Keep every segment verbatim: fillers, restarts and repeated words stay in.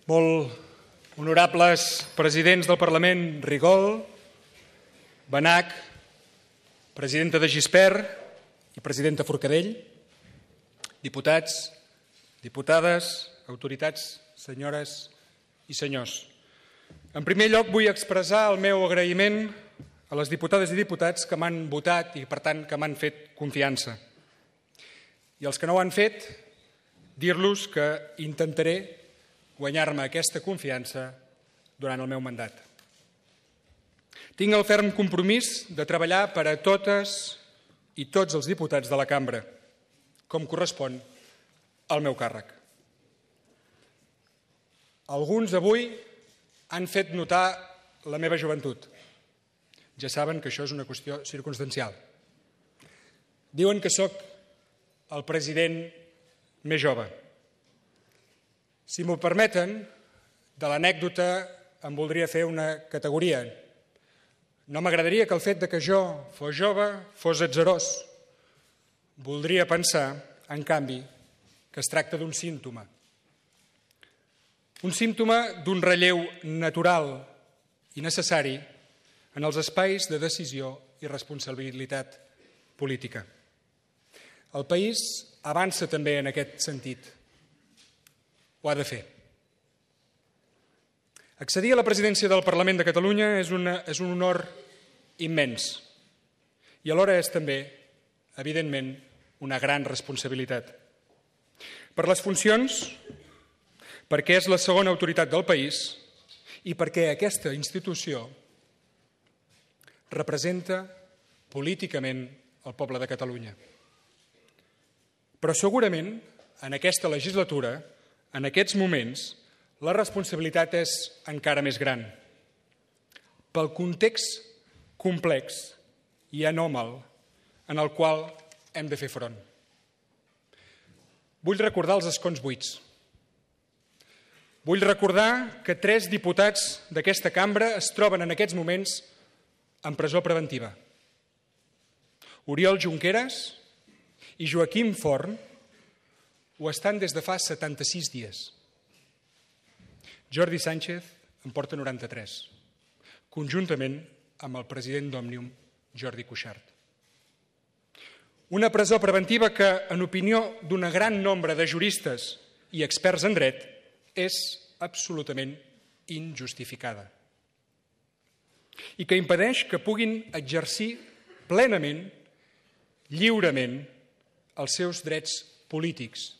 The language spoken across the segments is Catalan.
Molt honorables presidents del Parlament Rigol, Benach, presidenta de Gispert i presidenta Forcadell, diputats, diputades, autoritats, senyores i senyors. En primer lloc, vull expressar el meu agraïment a les diputades i diputats que m'han votat i, per tant, que m'han fet confiança. I els que no ho han fet, dir-los que intentaré guanyar-me aquesta confiança durant el meu mandat. Tinc el ferm compromís de treballar per a totes i tots els diputats de la cambra, com correspon al meu càrrec. Alguns avui han fet notar la meva joventut. Ja saben que això és una qüestió circumstancial. Diuen que sóc el president més jove. Si m'ho permeten, de l'anècdota em voldria fer una categoria. No m'agradaria que el fet de que jo fos jove fos atzarós. Voldria pensar, en canvi, que es tracta d'un símptoma. Un símptoma d'un relleu natural i necessari en els espais de decisió i responsabilitat política. El país avança també en aquest sentit. Ho ha de fer. Accedir a la presidència del Parlament de Catalunya és, una, és un honor immens i alhora és també, evidentment, una gran responsabilitat. Per les funcions, perquè és la segona autoritat del país i perquè aquesta institució representa políticament el poble de Catalunya. Però segurament, en aquesta legislatura, en aquests moments, la responsabilitat és encara més gran. Pel context complex i anòmal en el qual hem de fer front. Vull recordar els escons buits. Vull recordar que tres diputats d'aquesta cambra es troben en aquests moments en presó preventiva. Oriol Junqueras i Joaquim Forn ho estan des de fa setanta-sis dies. Jordi Sánchez en porta noranta-tres, conjuntament amb el president d'Òmnium, Jordi Cuixart. Una presó preventiva que, en opinió d'un gran nombre de juristes i experts en dret, és absolutament injustificada i que impedeix que puguin exercir plenament, lliurement, els seus drets polítics,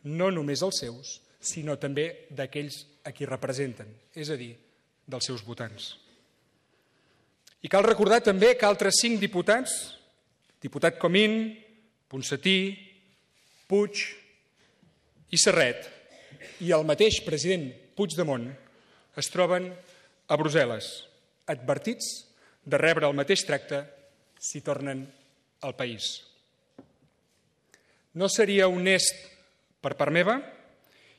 no només els seus, sinó també d'aquells a qui representen, és a dir, dels seus votants. I cal recordar també que altres cinc diputats, diputat Comín, Ponsatí, Puig i Serret, i el mateix president Puigdemont, es troben a Brussel·les, advertits de rebre el mateix tracte si tornen al país. No seria honest per part meva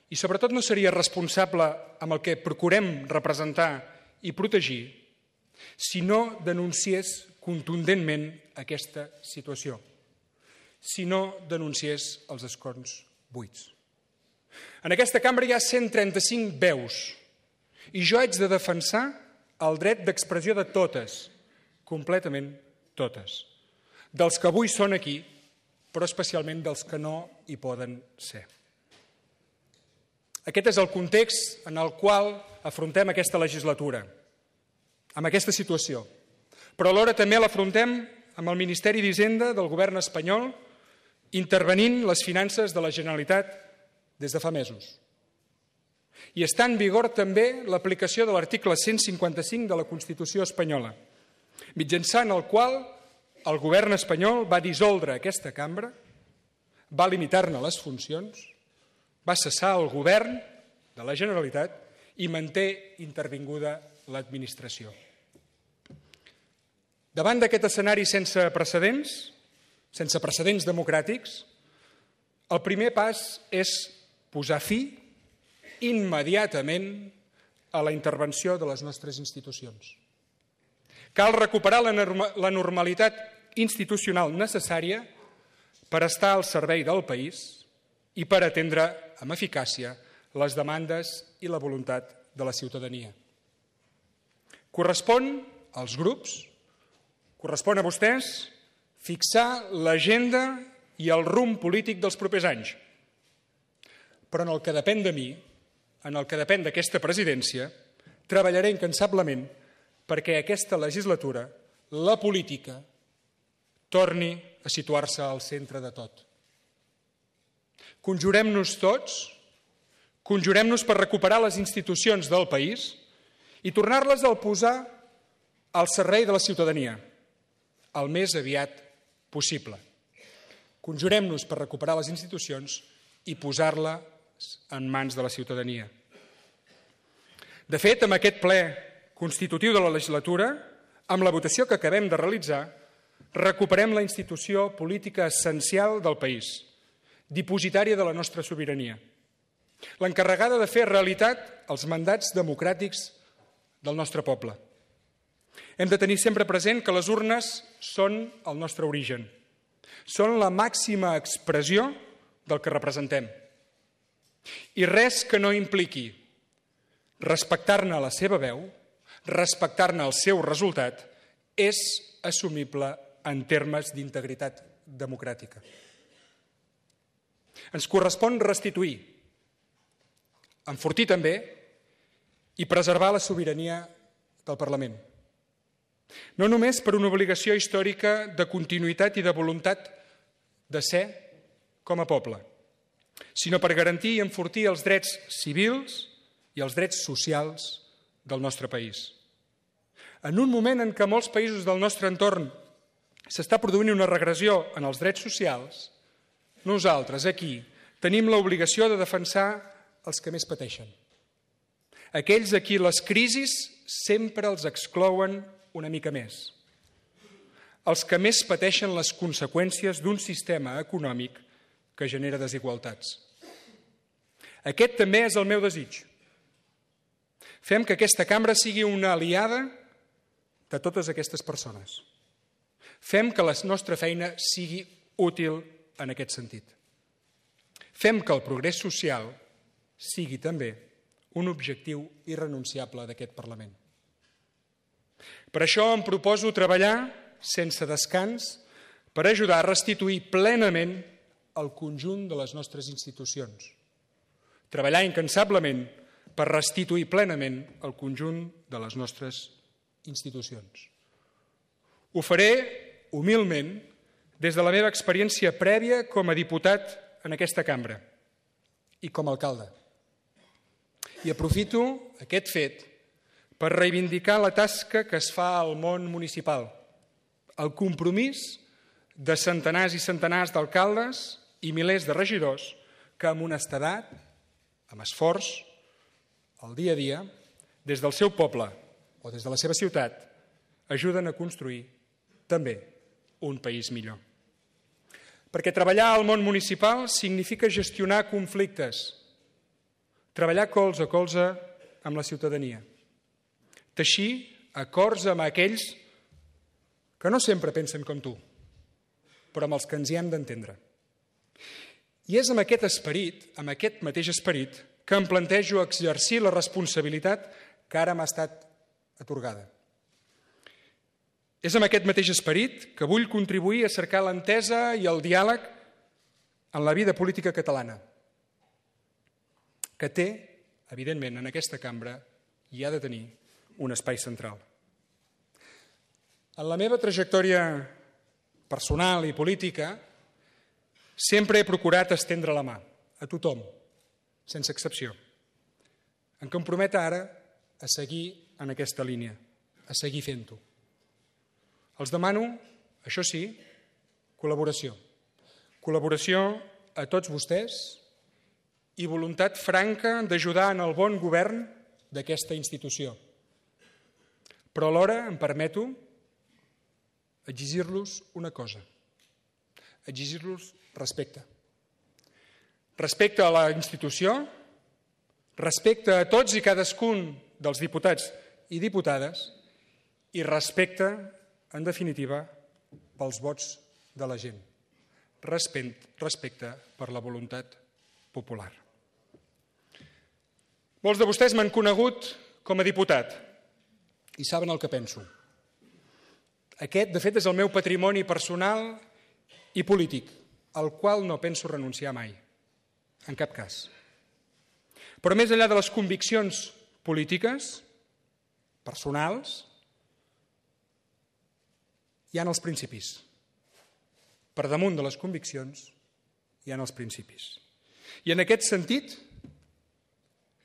i sobretot no seria responsable amb el que procurem representar i protegir si no denunciés contundentment aquesta situació, si no denunciés els escons buits. En aquesta cambra hi ha cent trenta-cinc veus i jo haig de defensar el dret d'expressió de totes, completament totes, dels que avui són aquí, però especialment dels que no hi poden ser. Aquest és el context en el qual afrontem aquesta legislatura, amb aquesta situació. Però alhora també l'afrontem amb el Ministeri d'Hisenda del govern espanyol, intervenint les finances de la Generalitat des de fa mesos. I està en vigor també l'aplicació de l'article cent cinquanta-cinc de la Constitució espanyola, mitjançant el qual el govern espanyol va dissoldre aquesta cambra, va limitar-ne les funcions, va cessar el govern de la Generalitat i manté intervinguda l'administració. Davant d'aquest escenari sense precedents, sense precedents democràtics, el primer pas és posar fi immediatament a la intervenció de les nostres institucions. Cal recuperar la normalitat institucional necessària per estar al servei del país i per atendre amb eficàcia les demandes i la voluntat de la ciutadania. Correspon als grups, correspon a vostès, fixar l'agenda i el rumb polític dels propers anys. Però en el que depèn de mi, en el que depèn d'aquesta presidència, treballaré incansablement perquè aquesta legislatura, la política, torni a situar-se al centre de tot. Conjurem-nos tots, conjurem-nos per recuperar les institucions del país i tornar-les a posar al servei de la ciutadania, el més aviat possible. Conjurem-nos per recuperar les institucions i posar-les en mans de la ciutadania. De fet, amb aquest ple constitutiu de la legislatura, amb la votació que acabem de realitzar, recuperem la institució política essencial del país, dipositària de la nostra sobirania, l'encarregada de fer realitat els mandats democràtics del nostre poble. Hem de tenir sempre present que les urnes són el nostre origen, són la màxima expressió del que representem. I res que no impliqui respectar-ne la seva veu, respectar-ne el seu resultat, és assumible en termes d'integritat democràtica. Ens correspon restituir, enfortir també i preservar la sobirania del Parlament. No només per una obligació històrica de continuïtat i de voluntat de ser com a poble, sinó per garantir i enfortir els drets civils i els drets socials del nostre país. En un moment en què molts països del nostre entorn s'està produint una regressió en els drets socials, nosaltres aquí tenim l'obligació de defensar els que més pateixen. Aquells a qui les crisis sempre els exclouen una mica més. Els que més pateixen les conseqüències d'un sistema econòmic que genera desigualtats. Aquest també és el meu desig. Fem que aquesta cambra sigui una aliada de totes aquestes persones. Fem que la nostra feina sigui útil en aquest sentit. Fem que el progrés social sigui també un objectiu irrenunciable d'aquest Parlament. Per això em proposo treballar sense descans per ajudar a restituir plenament el conjunt de les nostres institucions. Treballar incansablement per restituir plenament el conjunt de les nostres institucions. Ho faré humilment des de la meva experiència prèvia com a diputat en aquesta cambra i com a alcalde. I aprofito aquest fet per reivindicar la tasca que es fa al món municipal, el compromís de centenars i centenars d'alcaldes i milers de regidors que amb honestedat, amb esforç, al dia a dia, des del seu poble o des de la seva ciutat, ajuden a construir també un país millor. Perquè treballar al món municipal significa gestionar conflictes, treballar colze a colze amb la ciutadania, teixir acords amb aquells que no sempre pensen com tu, però amb els que ens hi hem d'entendre. I és amb aquest esperit, amb aquest mateix esperit, que em plantejo exercir la responsabilitat que ara m'ha estat atorgada. És amb aquest mateix esperit que vull contribuir a cercar l'entesa i el diàleg en la vida política catalana, que té, evidentment, en aquesta cambra i ha de tenir un espai central. En la meva trajectòria personal i política sempre he procurat estendre la mà a tothom, sense excepció. Em comprometo ara a seguir en aquesta línia, a seguir fent-ho. Els demano, això sí, col·laboració. Col·laboració a tots vostès i voluntat franca d'ajudar en el bon govern d'aquesta institució. Però alhora em permeto exigir-los una cosa, exigir-los respecte. Respecte a la institució, respecte a tots i cadascun dels diputats i diputades i respecte, en definitiva, pels vots de la gent. Respecte per la voluntat popular. Molts de vostès m'han conegut com a diputat i saben el que penso. Aquest, de fet, és el meu patrimoni personal i polític, al qual no penso renunciar mai, en cap cas. Però més enllà de les conviccions polítiques, personals, hi ha els principis. Per damunt de les conviccions hi ha els principis. I en aquest sentit,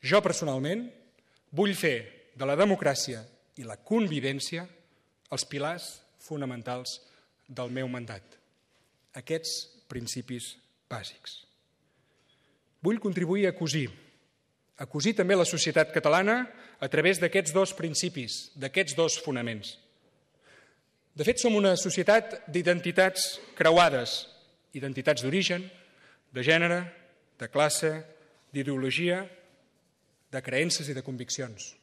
jo personalment vull fer de la democràcia i la convivència els pilars fonamentals del meu mandat. Aquests principis bàsics. Vull contribuir a cosir, a cosir també la societat catalana a través d'aquests dos principis, d'aquests dos fonaments. De fet, som una societat d'identitats creuades, identitats d'origen, de gènere, de classe, d'ideologia, de creences i de conviccions.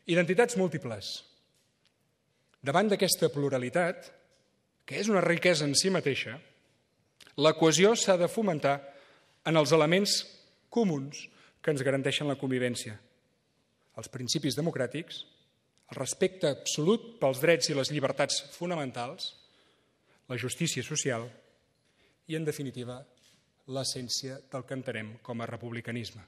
Identitats múltiples. Davant d'aquesta pluralitat, que és una riquesa en si mateixa, la cohesió s'ha de fomentar en els elements comuns que ens garanteixen la convivència. Els principis democràtics, el respecte absolut pels drets i les llibertats fonamentals, la justícia social i, en definitiva, l'essència del que entenem com a republicanisme.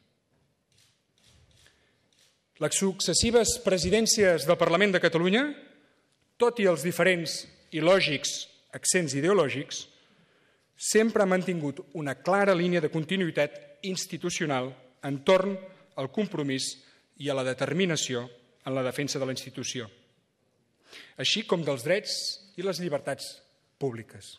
Les successives presidències del Parlament de Catalunya, tot i els diferents i lògics accents ideològics, sempre han mantingut una clara línia de continuïtat institucional entorn al compromís i a la determinació en la defensa de la institució, així com dels drets i les llibertats públiques.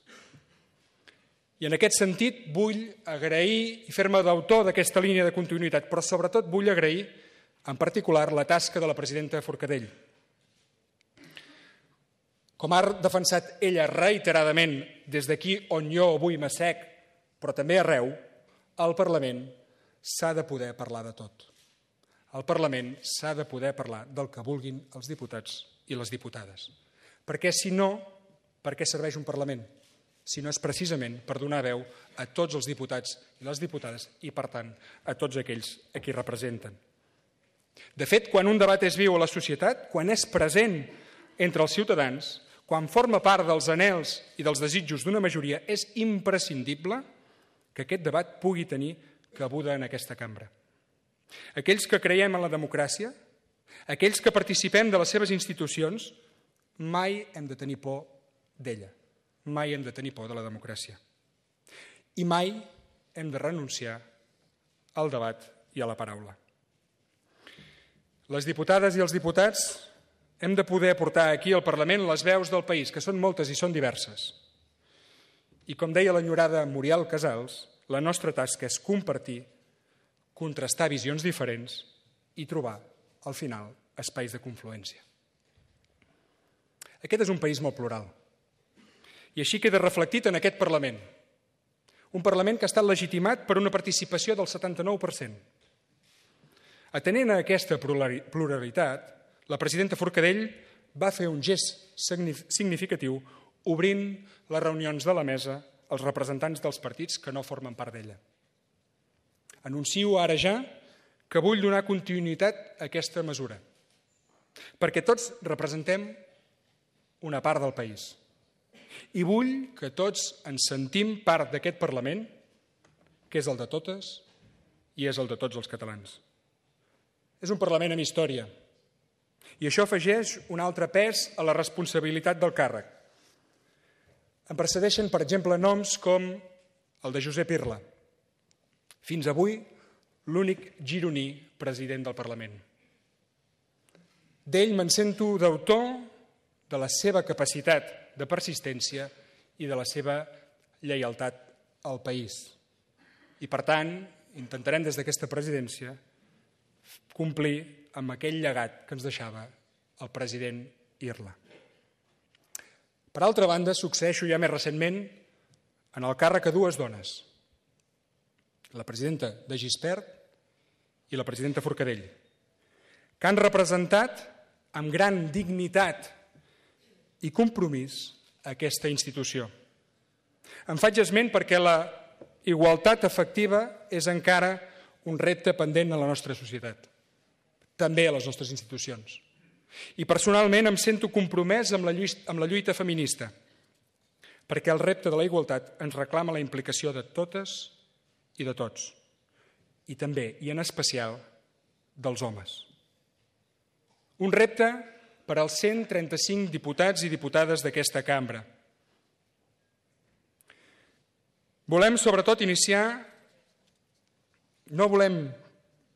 I en aquest sentit vull agrair i fer-me d'autor d'aquesta línia de continuïtat, però sobretot vull agrair en particular la tasca de la presidenta Forcadell. Com ha defensat ella reiteradament des d'aquí on jo avui m'assec, però també arreu, al Parlament s'ha de poder parlar de tot. Al Parlament s'ha de poder parlar del que vulguin els diputats i les diputades. Perquè si no, per què serveix un Parlament? Si no és precisament per donar veu a tots els diputats i les diputades i, per tant, a tots aquells a qui representen. De fet, quan un debat és viu a la societat, quan és present entre els ciutadans, quan forma part dels anhels i dels desitjos d'una majoria, és imprescindible que aquest debat pugui tenir cabuda en aquesta cambra. Aquells que creiem en la democràcia, aquells que participem de les seves institucions, mai hem de tenir por d'ella, mai hem de tenir por de la democràcia. I mai hem de renunciar al debat i a la paraula. Les diputades i els diputats hem de poder portar aquí al Parlament les veus del país, que són moltes i són diverses. I com deia l'enyorada Muriel Casals, la nostra tasca és compartir, contrastar visions diferents i trobar, al final, espais de confluència. Aquest és un país molt plural. I així queda reflectit en aquest Parlament. Un Parlament que ha estat legitimat per una participació del setanta-nou per cent. Atenent a aquesta pluralitat, la presidenta Forcadell va fer un gest significatiu obrint les reunions de la mesa als representants dels partits que no formen part d'ella. Anuncio ara ja que vull donar continuïtat a aquesta mesura, perquè tots representem una part del país i vull que tots ens sentim part d'aquest Parlament, que és el de totes i és el de tots els catalans. És un Parlament amb història i això afegeix un altre pes a la responsabilitat del càrrec. Em precedeixen, per exemple, noms com el de Josep Irla, fins avui l'únic gironí president del Parlament. D'ell me'n sento d'autor de la seva capacitat de persistència i de la seva lleialtat al país. I, per tant, intentarem des d'aquesta presidència complir amb aquell llegat que ens deixava el president Irla. Per altra banda, succeeixo ja més recentment en el càrrec a dues dones, la presidenta de Gispert i la presidenta Forcadell, que han representat amb gran dignitat i compromís aquesta institució. En faig esment perquè la igualtat efectiva és encara un repte pendent a la nostra societat, també a les nostres institucions. I personalment em sento compromès amb la lluita, amb la lluita feminista, perquè el repte de la igualtat ens reclama la implicació de totes i de tots, i també, i en especial, dels homes. Un repte per als cent trenta-cinc diputats i diputades d'aquesta cambra. Volem, sobretot, iniciar, no volem,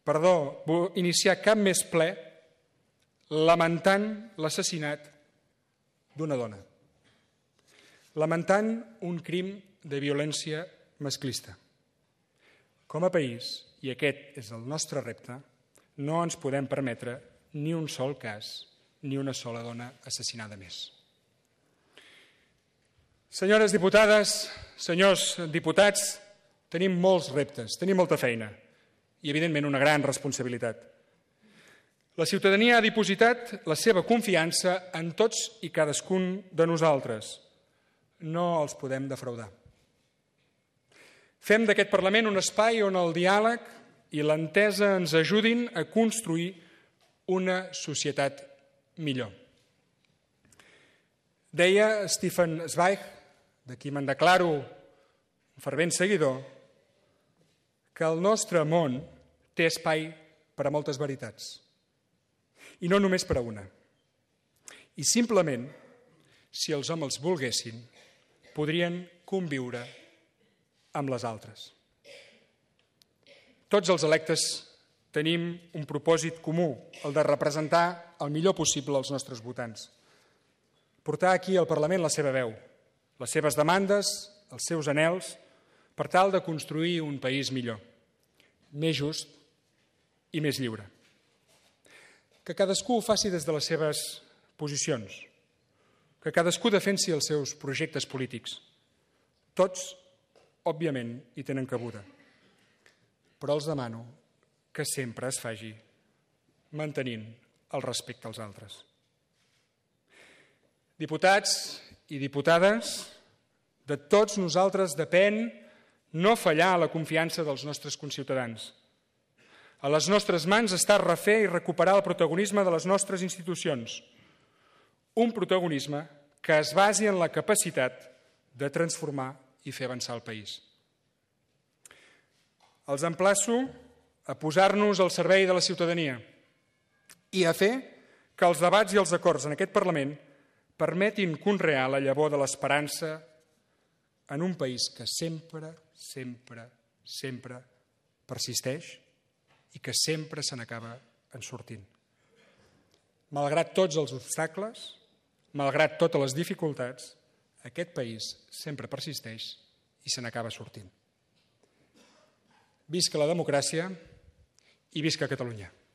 perdó, iniciar cap més ple lamentant l'assassinat d'una dona, lamentant un crim de violència masclista. Com a país, i aquest és el nostre repte, no ens podem permetre ni un sol cas, ni una sola dona assassinada més. Senyores diputades, senyors diputats, tenim molts reptes, tenim molta feina i, evidentment, una gran responsabilitat. La ciutadania ha dipositat la seva confiança en tots i cadascun de nosaltres. No els podem defraudar. Fem d'aquest Parlament un espai on el diàleg i l'entesa ens ajudin a construir una societat millor. Deia Stefan Zweig, de qui me'n declaro un fervent seguidor, que el nostre món té espai per a moltes veritats, i no només per a una. I simplement, si els homes volguessin, podrien conviure amb les altres. Tots els electes tenim un propòsit comú, el de representar el millor possible els nostres votants. Portar aquí al Parlament la seva veu, les seves demandes, els seus anhels, per tal de construir un país millor, més just i més lliure. Que cadascú ho faci des de les seves posicions, que cadascú defensi els seus projectes polítics. Tots, òbviament, hi tenen cabuda, però els demano que sempre es faci mantenint el respecte als altres. Diputats i diputades, de tots nosaltres depèn no fallar a la confiança dels nostres conciutadans. A les nostres mans està refer i recuperar el protagonisme de les nostres institucions, un protagonisme que es basi en la capacitat de transformar i fer avançar el país. Els emplaço a posar-nos al servei de la ciutadania i a fer que els debats i els acords en aquest Parlament permetin conrear la llavor de l'esperança en un país que sempre, sempre, sempre persisteix i que sempre se n'acaba en sortint. Malgrat tots els obstacles, malgrat totes les dificultats, aquest país sempre persisteix i se n'acaba sortint. Visca la democràcia i visca Catalunya.